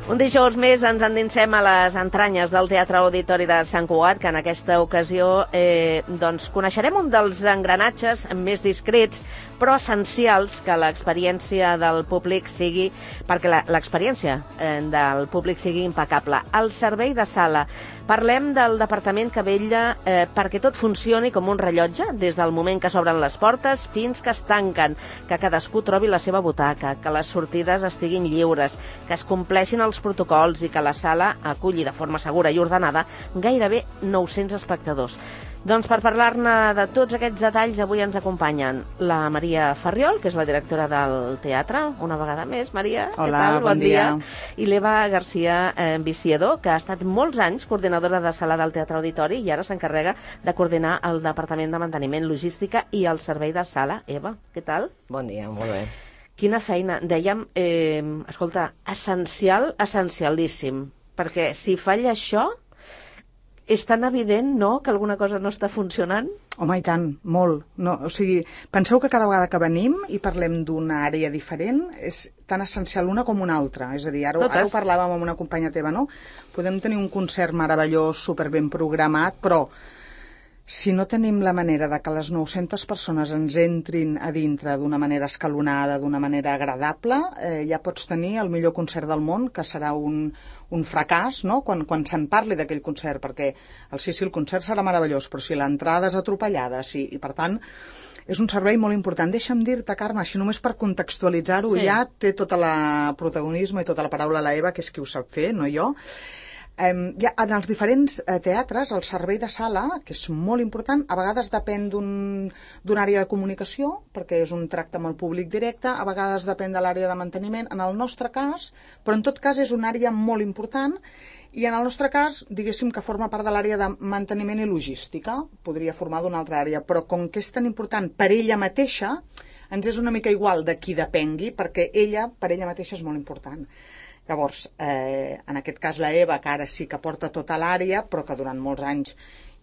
Un dijous més ens endinsem a les entranyes del Teatre Auditori de Sant Cugat, que en aquesta ocasió coneixerem un dels engranatges més discrets però essencials que l'experiència del públic sigui, perquè l'experiència del públic sigui impecable. El servei de sala. Parlem del departament que vetlla perquè tot funcioni com un rellotge, des del moment que s'obren les portes fins que es tanquen, que cadascú trobi la seva butaca, que les sortides estiguin lliures, que es compleixin els protocols i que la sala aculli de forma segura i ordenada gairebé 900 espectadors. Doncs per parlar-ne de tots aquests detalls avui ens acompanyen la Maria Farriol, que és la directora del teatre, una vegada més. Maria, hola, què tal? bon dia. I l'Eva García Viciador, que ha estat molts anys coordinadora de sala del Teatre Auditori i ara s'encarrega de coordinar el Departament de Manteniment, Logística i el servei de sala. Eva, què tal? Bon dia, molt bé. Quina feina. Dèiem, escolta, essencial, essencialíssim, perquè si falla això és tan evident, no?, que alguna cosa no està funcionant? Home, i tant, molt. No, o sigui, penseu que cada vegada que venim i parlem d'una àrea diferent és tan essencial una com una altra. És a dir, ara ho parlàvem amb una companya teva, no? Podem tenir un concert meravellós, superben programat, però si no tenim la manera de que les 900 persones ens entrin a dintre d'una manera escalonada, d'una manera agradable, ja pots tenir el millor concert del món, que serà un fracàs, no?, quan se'n parli d'aquell concert, perquè el concert serà meravellós, però si l'entrada és atropellada, i per tant és un servei molt important. Deixa'm dir-te, Carme, així només per contextualitzar-ho, ja té tota la protagonisme i tota la paraula la Eva, que és qui ho sap fer, no jo. Ja, en els diferents teatres, el servei de sala, que és molt important, a vegades depèn d'una àrea de comunicació, perquè és un tracte amb el públic directe, a vegades depèn de l'àrea de manteniment, en el nostre cas, però en tot cas és una àrea molt important, i en el nostre cas, diguéssim que forma part de l'àrea de manteniment i logística, podria formar d'una altra àrea, però com que és tan important per ella mateixa, ens és una mica igual de qui depengui, perquè ella, per ella mateixa, és molt important. Llavors, en aquest cas la Eva, que ara sí que porta tota l'àrea, però que durant molts anys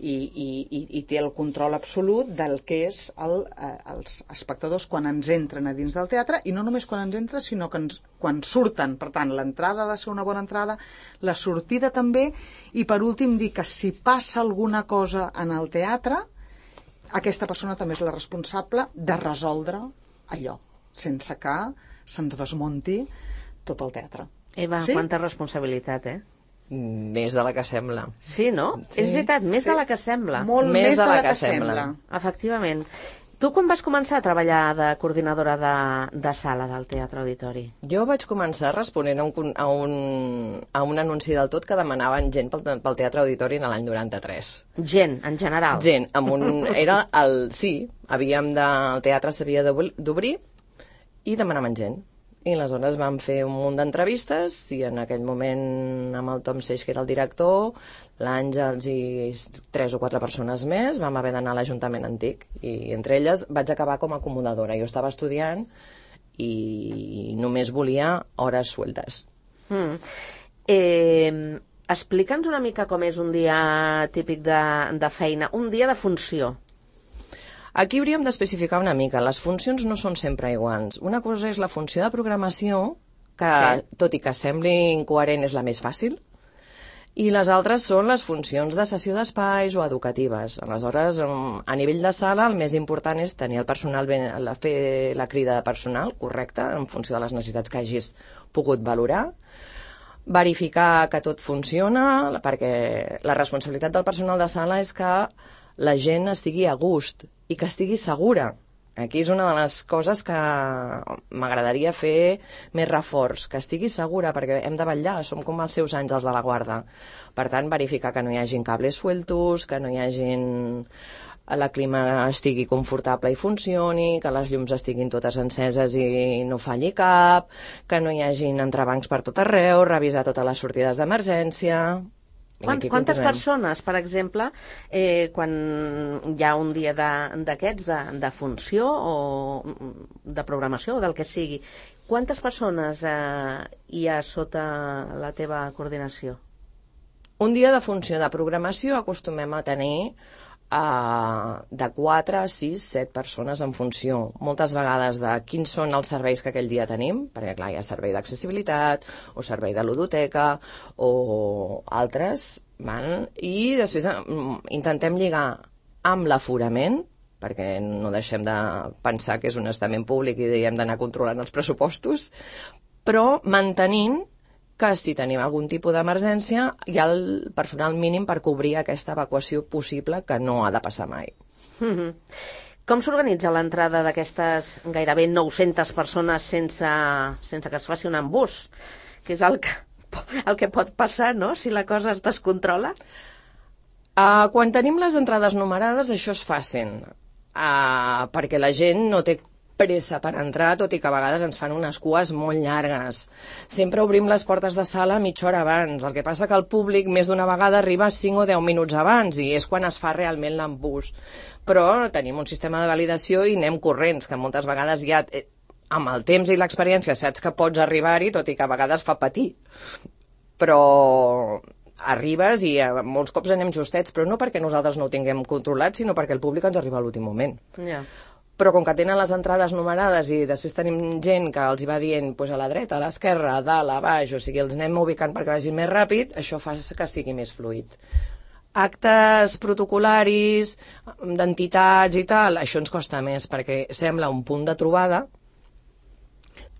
i té el control absolut del que és els espectadors quan ens entren a dins del teatre, i no només quan ens entren, sinó que quan surten. Per tant, l'entrada ha de ser una bona entrada, la sortida també, i per últim dir que si passa alguna cosa en el teatre, aquesta persona també és la responsable de resoldre allò, sense que se'ns desmunti tot el teatre. Eva, sí? Quanta responsabilitat, Més de la que sembla. Sí, no? Sí. És veritat, més de la que sembla. Molt més de la que sembla. Efectivament. Tu quan vas començar a treballar de coordinadora de sala del Teatre Auditori? Jo vaig començar responent a un anunci del tot que demanaven gent pel Teatre Auditori en l'any 93. Gent, en general? Gent. Sí, el teatre s'havia d'obrir i demanaven gent. I aleshores vam fer un munt d'entrevistes i en aquell moment amb el Tom Seix, que era el director, l'Àngels i 3 o 4 persones més, vam haver d'anar a l'Ajuntament Antic i entre elles vaig acabar com a acomodadora. Jo estava estudiant i només volia hores sueltes. Explica'ns una mica com és un dia típic de feina, un dia de funció. Aquí hauríem d'especificar una mica. Les funcions no són sempre iguals. Una cosa és la funció de programació, que tot i que sembli incoherent és la més fàcil, i les altres són les funcions de cessió d'espais o educatives. Aleshores, a nivell de sala, el més important és tenir el personal fer la crida de personal correcta, en funció de les necessitats que hagis pogut valorar, verificar que tot funciona, perquè la responsabilitat del personal de sala és que la gent estigui a gust i que estigui segura. Aquí és una de les coses que m'agradaria fer més reforç, que estigui segura, perquè hem de vetllar, som com els seus àngels de la guarda. Per tant, verificar que no hi hagin cables sueltos, que no hi hagin... la clima estigui confortable i funcioni, que les llums estiguin totes enceses i no falli cap, que no hi hagin entrebancs per tot arreu, revisar totes les sortides d'emergència... Quantes persones, per exemple, quan hi ha un dia d'aquests de funció o de programació o del que sigui, quantes persones hi ha sota la teva coordinació? Un dia de funció de programació acostumem a tenir de 4, 6, 7 persones en funció, moltes vegades de quins són els serveis que aquell dia tenim, perquè clar, hi ha servei d'accessibilitat o servei de ludoteca o altres, i després intentem lligar amb l'aforament, perquè no deixem de pensar que és un estament públic i hem d'anar controlant els pressupostos, però mantenint que si tenim algun tipus d'emergència hi ha el personal mínim per cobrir aquesta evacuació possible que no ha de passar mai. Com s'organitza l'entrada d'aquestes gairebé 900 persones sense que es faci un embús? Que és el que pot passar, no?, si la cosa es descontrola? Quan tenim les entrades numerades això es fa fàcil, perquè la gent no té pressa per entrar, tot i que a vegades ens fan unes cues molt llargues. Sempre obrim les portes de sala mitja hora abans, el que passa que el públic més d'una vegada arriba 5 o 10 minuts abans i és quan es fa realment l'embús. Però tenim un sistema de validació i anem corrents, que moltes vegades ja amb el temps i l'experiència saps que pots arribar-hi, tot i que a vegades fa patir. Però arribes i molts cops anem justets, però no perquè nosaltres no ho tinguem controlat, sinó perquè el públic ens arriba a l'últim moment. Però com que tenen les entrades numerades i després tenim gent que els hi va dient a la dreta, a l'esquerra, a dalt, a baix, o sigui, els anem ubicant perquè vagin més ràpid, això fa que sigui més fluid. Actes protocolaris, d'entitats i tal, això ens costa més perquè sembla un punt de trobada,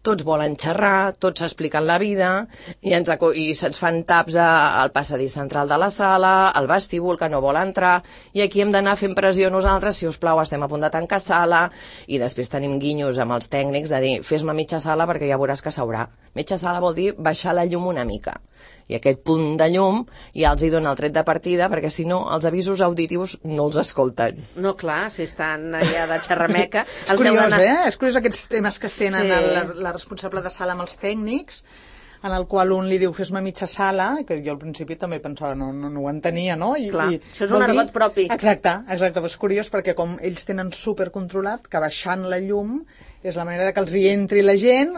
tots volen xerrar, tots s'expliquen la vida i se'ns fan taps al passadís central de la sala, al vestíbul que no vol entrar, i aquí hem d'anar fent pressió nosaltres, si us plau, estem a punt de tancar sala, i després tenim guinyos amb els tècnics de dir, fes-me mitja sala perquè ja veuràs que s'haurà. Mitja sala vol dir baixar la llum una mica. I aquest punt de llum ja els hi dona el tret de partida, perquè si no els avisos auditius no els escolten. No, clar, si estan allà de xerrameca... És curiós, És curiós aquests temes que es tenen la responsable de sala amb els tècnics, en el qual un li diu fes-me mitja sala, que jo al principi també pensava, no ho entenia, no? Clar, això és un argot propi. Exacte, però és curiós perquè com ells tenen supercontrolat que baixant la llum és la manera que els hi entri la gent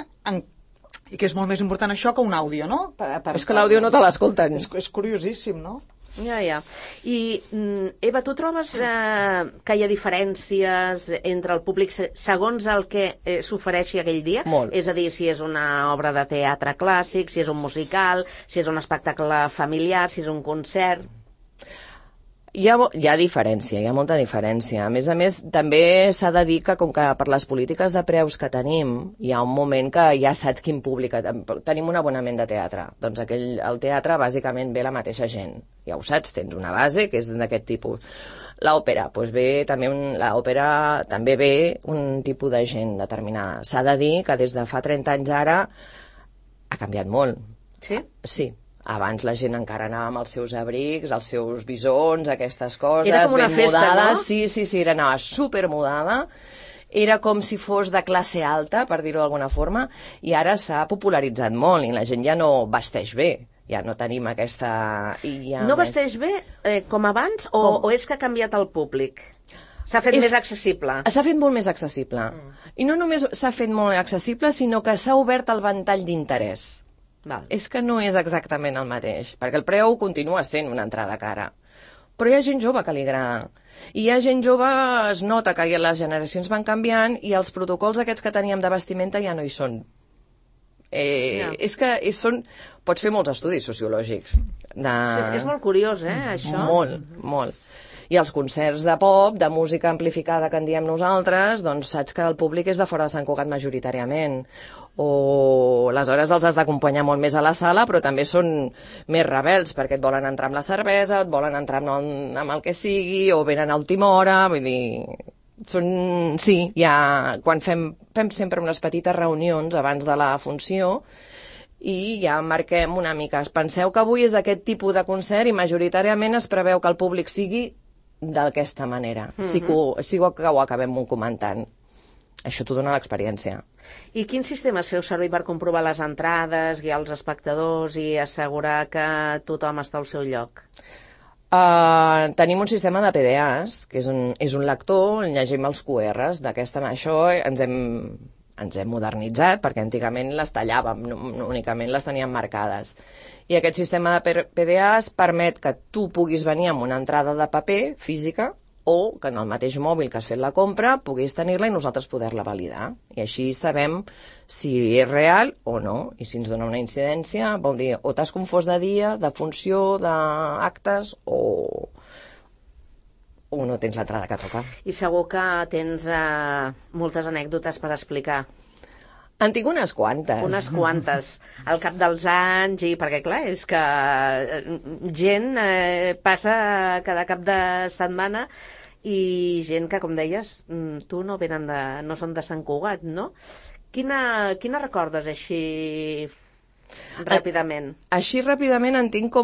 i que és molt més important això que un àudio, no? És que l'àudio no te l'escolten. És curiosíssim, no? Ja. I, Eva, tu trobes que hi ha diferències entre el públic segons el que s'ofereixi aquell dia? Molt. És a dir, si és una obra de teatre clàssic, si és un musical, si és un espectacle familiar, si és un concert... Hi ha diferència, hi ha molta diferència. A més, també s'ha de dir que com que per les polítiques de preus que tenim, hi ha un moment que ja saps quin públic... Tenim un abonament de teatre. Doncs el teatre bàsicament ve la mateixa gent. Ja ho saps, tens una base que és d'aquest tipus. L'òpera, l'òpera també ve un tipus de gent determinada. S'ha de dir que des de fa 30 anys ara ha canviat molt. Sí? Sí. Abans la gent encara anava amb els seus abrics, els seus bisons, aquestes coses, era com una ben festa, mudada. No? Sí, anava supermudada. Era com si fos de classe alta, per dir-ho d'alguna forma, i ara s'ha popularitzat molt i la gent ja no vesteix bé. Ja no tenim aquesta... No vesteix bé com abans o és que ha canviat el públic? S'ha fet més accessible? S'ha fet molt més accessible. I no només s'ha fet molt accessible, sinó que s'ha obert el ventall d'interès. És que no és exactament el mateix, perquè el preu continua sent una entrada cara. Però hi ha gent jove que li agrada. I hi ha gent jove, es nota que les generacions van canviant i els protocols aquests que teníem de vestimenta ja no hi són. És que pots fer molts estudis sociològics. És molt curiós, això? Molt. I els concerts de pop, de música amplificada que en diem nosaltres, doncs saps que el públic és de fora de Sant Cugat majoritàriament. O aleshores els has d'acompanyar molt més a la sala, però també són més rebels, perquè et volen entrar amb la cervesa, et volen entrar amb el que sigui, o venen a última hora, vull dir... Quan fem sempre unes petites reunions abans de la funció, i ja marquem una mica. Penseu que avui és aquest tipus de concert i majoritàriament es preveu que el públic sigui d'aquesta manera. Sí que ho acabem comentant. Això t'ho dona l'experiència. I quin sistema feu servir per comprovar les entrades, guiar els espectadors i assegurar que tothom està al seu lloc? Tenim un sistema de PDAs, que és un lector, on llegim els QRs d'aquesta... Això ens hem modernitzat, perquè antigament les tallàvem, únicament les teníem marcades. I aquest sistema de PDAs permet que tu puguis venir amb una entrada de paper física o que en el mateix mòbil que has fet la compra puguis tenir-la i nosaltres poder-la validar. I així sabem si és real o no. I si ens dona una incidència, vol dir, o t'has confós de dia, de funció, d'actes, o no tens l'entrada que toca. I segur que tens moltes anècdotes per explicar. En tinc unes quantes. Unes quantes. Al cap dels anys, perquè clar, és que gent passa cada cap de setmana i gent que, com deies, tu no són de Sant Cugat, no? Quina recordes així ràpidament? Així ràpidament en tinc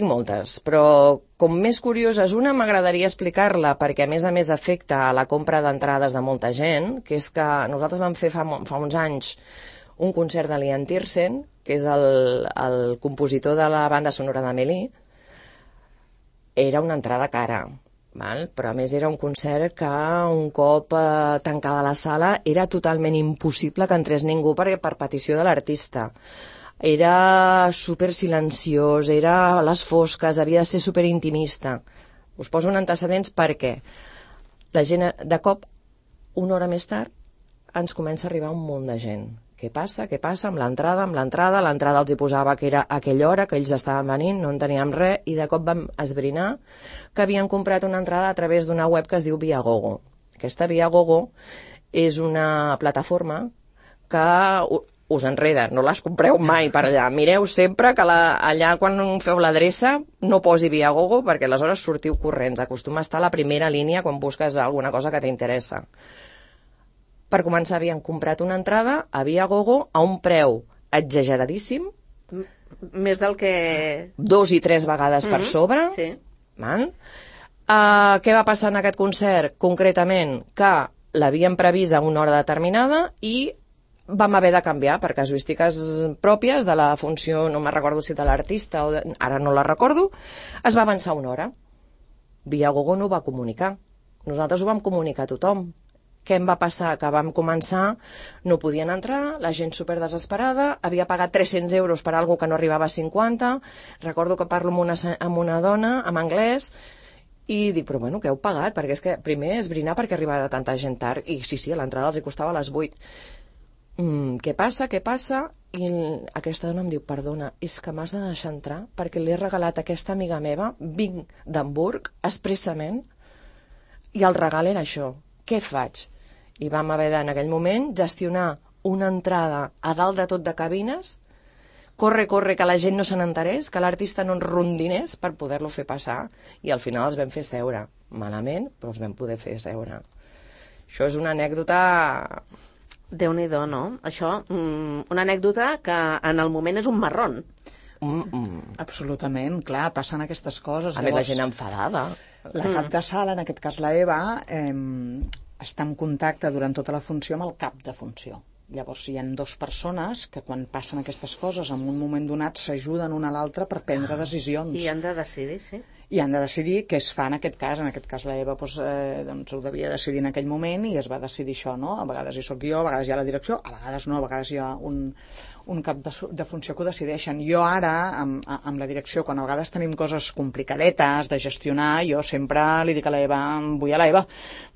moltes, però com més curiosa és una, m'agradaria explicar-la perquè a més afecta a la compra d'entrades de molta gent, que és que nosaltres vam fer fa uns anys un concert de l'Ian Tiersen, que és el compositor de la banda sonora d'Amélie. Era una entrada cara, però a més era un concert que un cop tancada la sala era totalment impossible que entrés ningú per petició de l'artista. Era super silenciós, era a les fosques, havia de ser super intimista. Us poso un antecedents perquè la gent de cop, una hora més tard, ens comença a arribar un munt de gent. Què passa amb l'entrada? L'entrada els hi posava que era aquella hora, que ells estaven venint, no en teníem res, i de cop vam esbrinar que havien comprat una entrada a través d'una web que es diu Viagogo. Aquesta Viagogo és una plataforma que us enreda, no les compreu mai per allà. Mireu sempre que allà quan feu l'adreça no posi Viagogo perquè aleshores sortiu corrents. Acostuma a estar a la primera línia quan busques alguna cosa que t'interessa. Per començar, havien comprat una entrada a Viagogo a un preu exageradíssim. Més del que... 2 i 3 vegades per sobre. Sí. Què va passar en aquest concert? Concretament, que l'havien previst a una hora determinada i vam haver de canviar per casuístiques pròpies de la funció, no me'n recordo si de l'artista o ara no la recordo, es va avançar una hora. Viagogo no ho va comunicar. Nosaltres ho vam comunicar a tothom. Què em va passar? Que vam començar, no podien entrar, la gent super desesperada, havia pagat 300 euros per algo que no arribava a 50, recordo que parlo amb una dona, en anglès, i dic, però bueno, què heu pagat? Perquè és que primer esbrinar perquè arribava tanta gent tard, i sí, a l'entrada els hi costava a les 8. Què passa? I aquesta dona em diu, perdona, és que m'has de deixar entrar perquè li he regalat a aquesta amiga meva, vinc d'Hamburg, expressament, i el regal era això. Què faig? I vam haver en aquell moment gestionar una entrada a dalt de tot de cabines, corre, que la gent no se n'enterés, que l'artista no ens rondinés per poder-lo fer passar, i al final els vam fer seure. Malament, però els vam poder fer seure. Això és una anècdota... Déu-n'hi-do, no? Això, una anècdota que en el moment és un marrón. Absolutament, clar, passen aquestes coses. A més, la gent enfadada. La cap de sala, en aquest cas la Eva, està en contacte durant tota la funció amb el cap de funció. Llavors hi ha 2 persones que quan passen aquestes coses en un moment donat s'ajuden una a l'altra per prendre decisions. I han de decidir, sí. I han de decidir què es fa en aquest cas. En aquest cas la Eva doncs, ho devia decidir en aquell moment i es va decidir això, no? A vegades hi soc jo, a vegades hi ha la direcció, a vegades no, a vegades hi ha un cap de funció que ho decideixen. Jo ara, amb la direcció, quan a vegades tenim coses complicadetes de gestionar, jo sempre li dic a la Eva, vull a la Eva,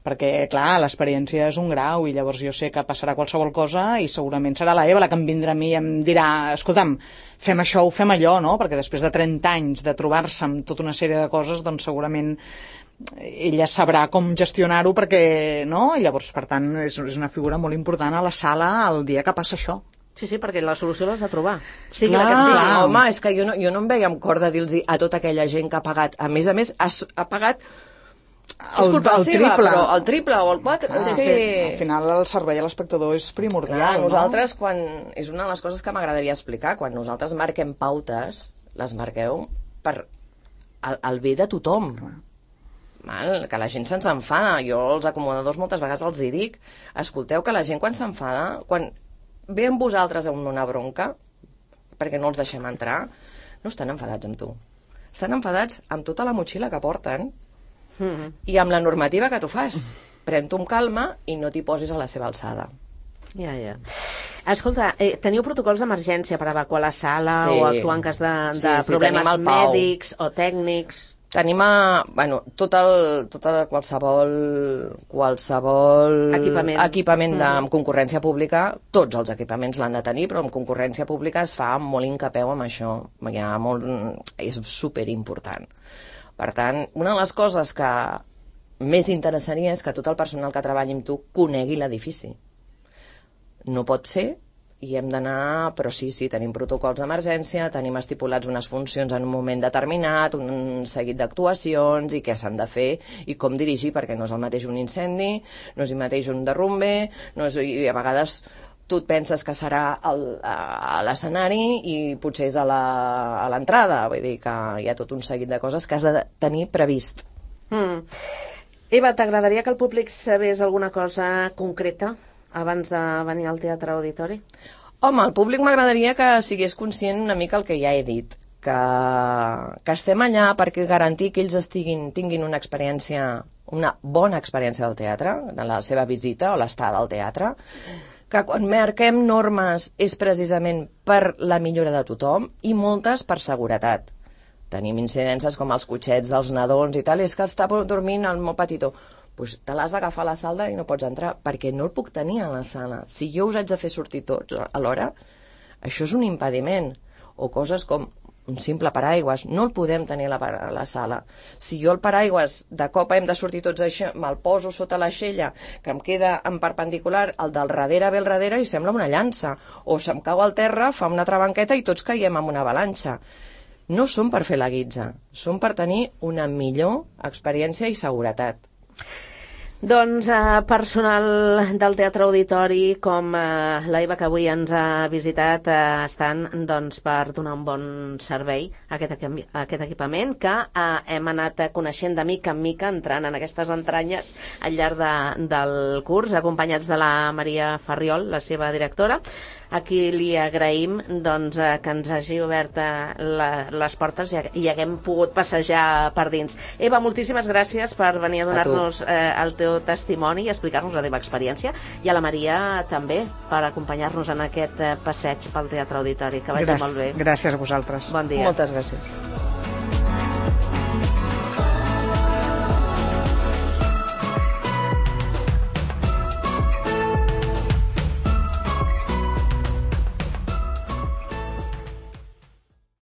perquè, clar, l'experiència és un grau i llavors jo sé que passarà qualsevol cosa i segurament serà la Eva la que em vindrà a mi i em dirà, escolta'm, fem això o fem allò, no? Perquè després de 30 anys de trobar-se amb tota una sèrie de coses, doncs segurament ella sabrà com gestionar-ho perquè, no? Llavors, per tant, és una figura molt important a la sala el dia que passa això. Sí, perquè la solució l'has de trobar. Sí, clar, que sí. Home, és que jo no em veia amb cor de dir-los a tota aquella gent que ha pagat. A més, ha pagat... És culpa seva, però el triple o el 4. És que... Al final el servei a l'espectador és primordial. Clar, nosaltres, quan... És una de les coses que m'agradaria explicar. Quan nosaltres marquem pautes, les marqueu per el bé de tothom. Que la gent se'ns enfada. Jo als acomodadors moltes vegades els hi dic, escolteu que la gent quan s'enfada, quan ve amb vosaltres amb una bronca, perquè no els deixem entrar, no estan enfadats amb tu. Estan enfadats amb tota la motxilla que porten i amb la normativa que tu fas. Pren-t'ho amb calma i no t'hi posis a la seva alçada. Ja. Escolta, teniu protocols d'emergència per evacuar la sala o actuar en cas de problemes mèdics o tècnics? Tenim qualsevol equipament amb concurrència pública, tots els equipaments l'han de tenir, però amb concurrència pública es fa molt incapeu amb això. És superimportant. Per tant, una de les coses que més interessaria és que tot el personal que treballi amb tu conegui l'edifici. No pot ser, i hem d'anar, però sí, tenim protocols d'emergència, tenim estipulats unes funcions en un moment determinat, un seguit d'actuacions i què s'han de fer i com dirigir, perquè no és el mateix un incendi, no és el mateix un derrumbe, i a vegades tu et penses que serà a l'escenari i potser és a l'entrada, vull dir que hi ha tot un seguit de coses que has de tenir previst. Eva, t'agradaria que el públic sabés alguna cosa concreta abans de venir al Teatre Auditori? Home, al públic m'agradaria que sigués conscient una mica el que ja he dit, que estem allà perquè garantir que ells tinguin una bona experiència del teatre, de la seva visita o l'estada al teatre, que quan marquem normes és precisament per la millora de tothom i moltes per seguretat. Tenim incidències com els cotxets dels nadons i tal, és que està dormint el meu petitó. Doncs te l'has d'agafar a la sala i no pots entrar, perquè no el puc tenir a la sala. Si jo us haig de fer sortir tots alhora, això és un impediment. O coses com un simple paraigües, no el podem tenir a la sala. Si jo el paraigües, de cop hem de sortir tots això, me'l poso sota l'aixella, que em queda en perpendicular, el del darrere ve al darrere i sembla una llança. O se'm cau al terra, fa una trabanqueta i tots caiem en una avalanxa. No són per fer la guitza, són per tenir una millor experiència i seguretat. Doncs personal del Teatre Auditori com la Eva que avui ens ha visitat estan per donar un bon servei a aquest equipament que hem anat coneixent de mica en mica entrant en aquestes entranyes al llarg del curs, acompanyats de la Maria Farriol, la seva directora, a qui li agraïm que ens hagi obert les portes i haguem pogut passejar per dins. Eva, moltíssimes gràcies per venir a donar-nos el teu testimoni i explicar-nos la teva experiència, i a la Maria també per acompanyar-nos en aquest passeig pel Teatre Auditori. Que vagi molt bé. Gràcies a vosaltres. Bon dia. Moltes gràcies.